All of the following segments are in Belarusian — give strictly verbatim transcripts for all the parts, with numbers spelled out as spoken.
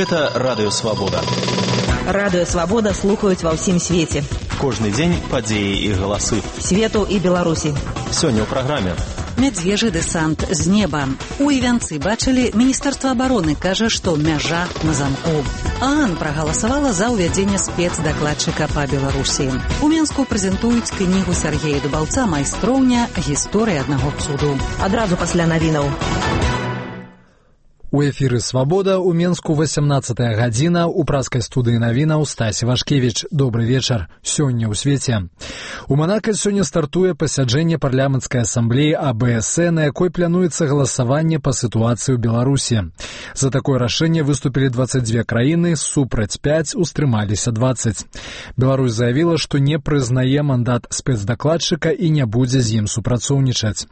Гэта Радыё Свабода. Радыё Свабода слухаюць ва ўсім свеце. Кожны дзень падзеі і галасы. Свету і Беларусі. Сёння ў праграме. Медвежий десант з неба. У Івянцы бачылі, Міністэрства абароны кажа, што мяжа на замку. ААН прагаласавала за ўвядзенне спецдакладчыка па Беларусі. У Менску прэзентуюць кнігу Сергея Дубаўца «Майстроўня. Гісторыя аднаго цуду». Адразу пасля навінаў. У эфіры «Свабода» у Менску восемнадцатая гадзіна, у праскай студыі навінаў Стась Вашкевіч. Добры вечар. Сёння ў свеце. У Манака сёння стартуе пасяджэнне парламенцкай асамблеі А Бэ Эс Э, на якой плануецца галасаванне па сітуацыі ў Беларусі. За такое рашэнне выступілі дваццаць дзве краіны, супраць пяць, устрымаліся дваццаць. Беларусь заявіла, што не прызнае мандат спецдакладчыка і не будзе з ім супрацоўнічаць.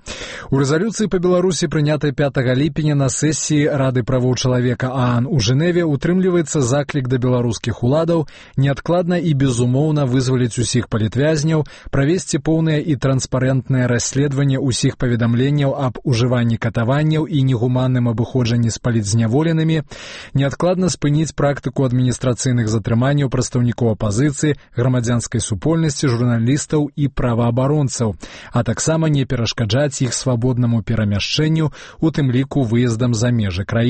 У рэзалюцыі па Беларусі, прынятай пятага ліпеня на сесіі Рады правоў чалавека ААН у Жэневе, утрымліваецца заклік да беларускіх уладаў неадкладна і безумоўна вызваліць усіх палітвязняў, правесці поўнае і транспарэнтнае расследаванне ўсіх паведамленняў аб ужыванні катаванняў і негуманным абыходжанні з палітзняволенымі, неадкладна спыніць практыку адміністрацыйных затрыманняў прадстаўнікоў апазіцыі, грамадзянскай супольнасці, журналістаў і праваабаронцаў, а таксама не перашкаджаць іх свабоднаму перамяшчэнню, у тым ліку выездам за межы краіны.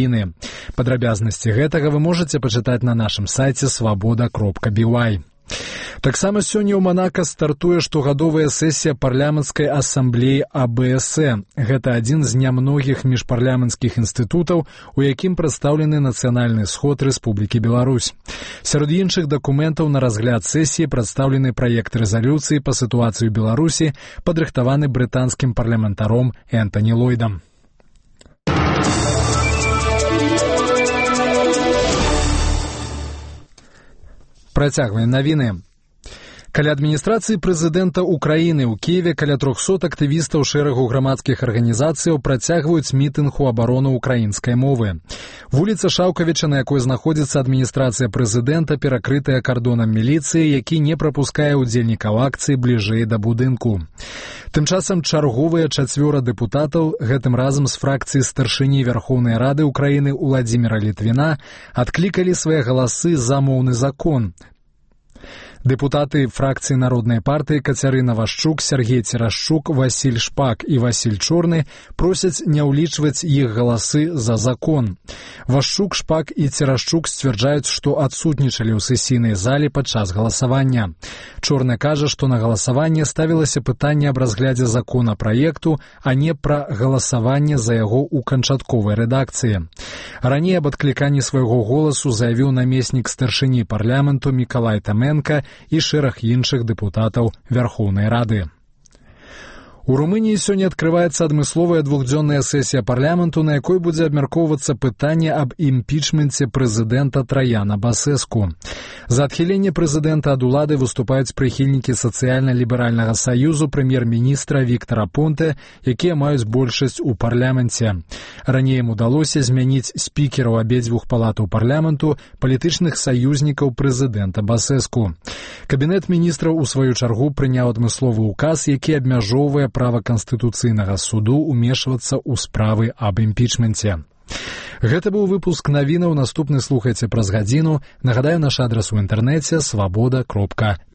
Падрабязнасці гэтага вы можаце пачытаць на нашым сайце свабода кропка би вай. Таксама сёння ў Манака стартуе штогадовая сесія парламенцкай асамблеі А Бэ Эс Э. Гэта адзін з нямногіх міжпарламенцкіх інстытутаў, у якім прадстаўлены нацыянальны сход Рэспублікі Беларусь. Сярод іншых дакументаў на разгляд сесіі прадстаўлены праект рэзалюцыі па сітуацыі ў Беларусі, падрыхтаваны брытанскім парламентаром Энтані Ллойдам. Працягваем навіны. Каля адміністрацыі прэзідэнта ўкраіны ў Кіеве каля трохсот актывістаў шэрагу грамадскіх арганізацыяў працягваюць мітынг у абарону ўкраінскай мовы. Вуліца Шаўкавіча, на якой знаходзіцца адміністрацыя прэзідэнта, перакрытая кардонам міліцыі, які не прапускае ўдзельнікаў акцыі бліжэй да будынку. Тым часам чарговыя чацвёра дэпутатаў, гэтым разам з фракцыі старшыні Вярхоўнай Рады ўкраіны Уладзіміра Літвіна, адклікалі свае галасы за моўны закон. Дэпутаты фракцыі Народнай партыі Кацярына Вашчук, Сергей Церашчук, Васіль Шпак і Васіль Чорны просяць не ўлічваць іх галасы за закон. Вашчук, Шпак і Церашчук сцвярджаюць, што адсутнічалі ў сесійнай зале падчас галасавання. Чорны кажа, што на галасаванне ставілася пытанне аб разглядзе законапраекту, а не пра галасаванне за яго ў канчатковай рэдакцыі. Раней аб адкліканні свайго голасу заявіў намеснік старшыні парламенту Мікалай Таменка і шэраг іншых дэпутатаў Вярхоўнай Рады. У Румыніі сёння адкрываецца адмысловая двухдзённая сесія парламенту, на якой будзе абмяркоўвацца пытанне аб імпічменце прэзідэнта Траяна Басэску. За адхіленне прэзідэнта ад улады выступаюць прыхільнікі сацыяльна-ліберальнага саюзу прэм'ер-міністра Віктара Понте, якія маюць большасць у парламенце. Раней ім удалося змяніць спікераў абедзвюх палатаў парламенту, палітычных саюзнікаў прэзідэнта Басэску. Кабінет міністраў у сваю чаргу прыняў адмысловы ўказ, які абмяжоўвае права Канстытуцыйнага суду ўмешвацца ў справы аб імпічменце. Гэта быў выпуск навінаў, наступны слухайце праз гадзіну. Нагадаю, наш адрас у інтэрнэце свабода кропка